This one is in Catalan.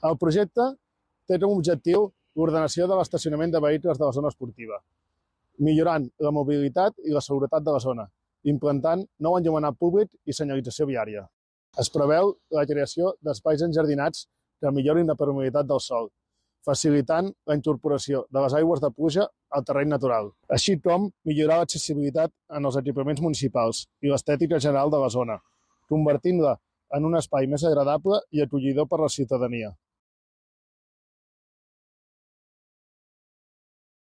El projecte té com a objectiu l'ordenació de l'estacionament de vehicles de la zona esportiva, millorant la mobilitat i la seguretat de la zona, implantant nou enllumenat públic i senyalització viària. Es preveu la creació d'espais enjardinats que millorin la permeabilitat del sòl, facilitant la incorporació de les aigües de pluja al terreny natural, així com millorar l'accessibilitat en els equipaments municipals i l'estètica general de la zona, convertint-la en un espai més agradable i acollidor per a la ciutadania.